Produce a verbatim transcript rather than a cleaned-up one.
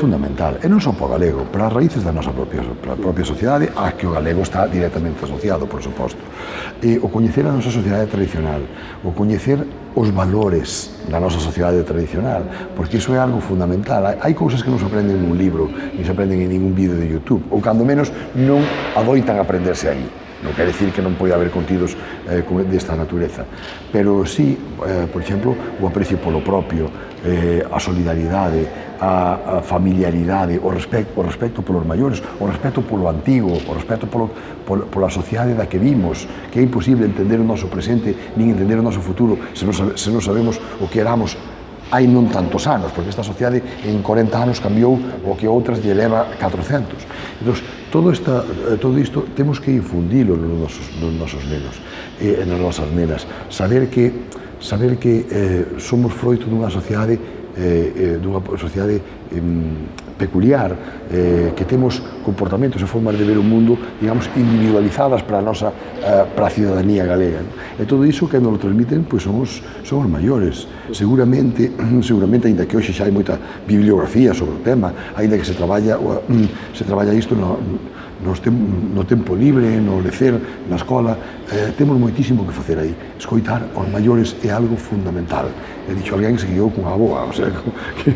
fundamental, e non só para o galego, para as raíces da nosa propia, para a propia sociedade, a que o galego está directamente asociado, por suposto. E o coñecer a nosa sociedade tradicional, o coñecer os valores da nosa sociedade tradicional, porque iso é algo fundamental. Hai cousas que non se aprenden nun libro, ni se aprenden en ningún vídeo de YouTube, ou cando menos non adoitan aprenderse aí. Non quer dicir que non pode haber contidos eh, desta natureza, pero sí, eh, por exemplo, o aprecio polo propio, eh, a solidaridade, a, a familiaridade, o respecto, o respecto polos maiores, o respecto polo antigo, o respecto polo, polo, pola sociedade da que vimos, que é imposible entender o noso presente, nin entender o noso futuro, se non, se non sabemos o que éramos hai non tantos anos, porque esta sociedade en corenta anos cambiou o que outras lle leva catrocentos. Entón, todo, esta, todo isto temos que infundilo nos nosos, nos nosos nenos e nas nosas nenas. Saber que, saber que eh, somos froito dunha sociedade, eh, dunha sociedade eh, peculiar, eh, que temos comportamentos e formas de ver o mundo, digamos, individualizadas para a nosa, eh, para a cidadanía galega. E todo iso que nos lo transmiten, pois son os, son os maiores. Seguramente, seguramente, ainda que hoxe xa hai moita bibliografía sobre o tema, ainda que se traballa, se traballa isto no, no, no tempo libre, no lecer, na escola, eh, temos moitísimo que facer aí. Escoitar aos maiores é algo fundamental. He dicho alguén que se guiou cunha boa, o sea, que